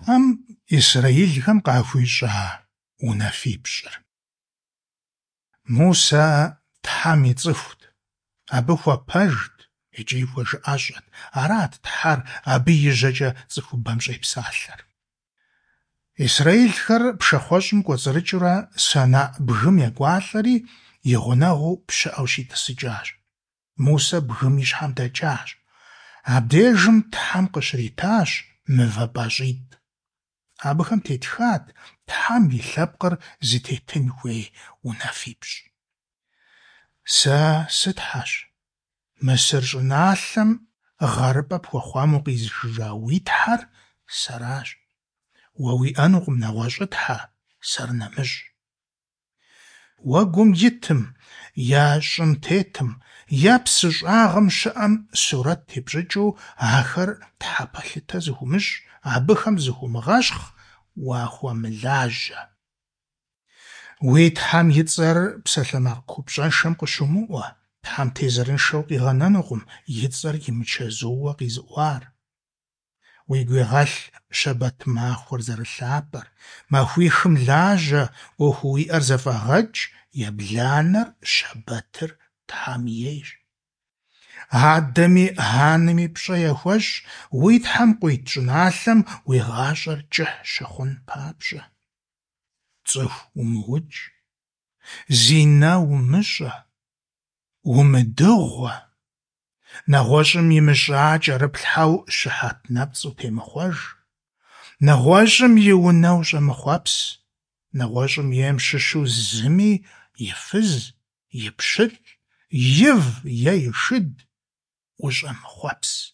Тхьэм исрэилхэм къахуищӏа унафипщӏыр. Мусэ Тхьэм и цӏыхут, абы хуэпэжт икӏи хуэжыӏэщӏэт. Арат Тхьэр абы и жьэкӏэ цӏыхубэм щӏепсалъэр. Исрэилхэр пшахъуэщӏым кӏуэцӏрыкӏыурэ Сэнаӏ бгым екӏуалӏэри, и гъунэгъуу пщыӏэу щитӏысыкӏащ. Мусэ бгым и щхьэм дэкӏащ. Абдежым Тхьэм къыщритащ мывэ пӏащӏитӏ. Абыхэм тетхат Тхьэм и лъэпкъыр зытетын хуей унафипщӏ. Сэ сы-Тхьэщ. Мысыр щӏыналъэм гъэрыпӏэ пхуэхъуам укъизышыжа уи Тхьэр сэращ. Уэ уиӏэнукъым нэгъуэщӏытхьэ, сэр нэмыщӏ. Уэгум итым, е щӏым тетым, е псы щӏагъым щыӏэм сурэт тепщӏыкӏыу ахэр тхьэпэлъытэ зыхуумыщӏ, абыхэм зыхуумыгъэщхъ, уахуэмылажьэ. Уи Тхьэм и цӏэр псалъэмакъ купщӏэншэм къыщумыӏуэ, Тхьэм тезырыншэу къигъэнэнукъым и цӏэр имычэзууэ къизыӏуар. Уигу игъэлъ щэбэт махуэр зэрылъапӏэр, махуихым лажьэ, ӏуэхуу уиӏэр зэфӏэгъэкӏ, ебланэр, щэбэтыр, Тхьэм ейщ. Адэми анэми пщӏэ яхуэщӏ, уи Тхьэм къуит щӏыналъэм уи гъащӏэр кӏыхь щыхъун папщӏэ. Цӏыху умыукӏ, зинэ умыщӏэ, умыдыгъуэ, нэгъуэщӏым имыщӏа кӏэрыплъхьэу щыхьэт нэпцӏ утемыхъуэж, нэгъуэщӏым и унэ ущӏэмыхъуэпс, нэгъуэщӏым ейм щыщу зыми и фыз, и пщылӏ, ив е и шыд ущӏэмыхъуэпс.